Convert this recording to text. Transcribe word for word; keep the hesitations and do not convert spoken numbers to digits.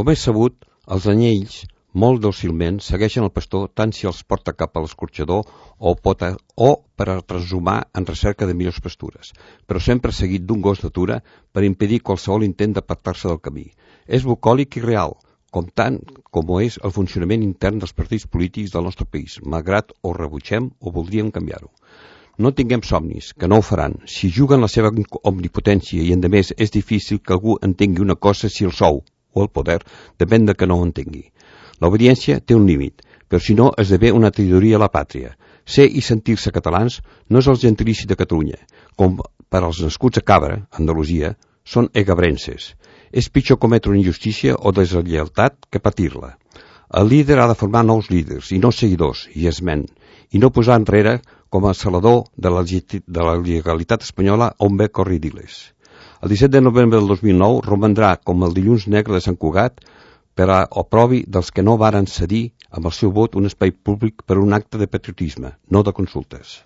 Com és sabut, els anyells, molt dòcilment, segueixen el pastor tant si els porta cap a l'escorxador o, pot a, o per a transhumar en recerca de millors pastures, però sempre seguit d'un gos d'atura per impedir qualsevol intent d'apartar-se del camí. És bucòlic i real, com tant com ho és el funcionament intern dels partits polítics del nostre país, malgrat o rebutgem o voldríem canviar-ho. No tinguem somnis, que no ho faran. Si juguen la seva omnipotència i, endemés, és difícil que algú entengui una cosa si el sou o el poder depèn de que no ho entengui. L'obediència té un límit, però si no esdevé una traïdoria a la pàtria. Ser i sentir-se catalans no és el gentilici de Catalunya, com per als nascuts a Cabra, Andalusia, són egabrenses. És pitjor cometre una injustícia o deslleialtat que patir-la. El líder ha de formar nous líders i no seguidors, i esment, i no posar enrere com a salador de la, de la legalitat espanyola on ve corridiles. El disset de novembre del dos mil nou romandrà com el dilluns negre de Sant Cugat per a oprobi dels que no varen cedir amb el seu vot un espai públic per un acte de patriotisme, no de consultes.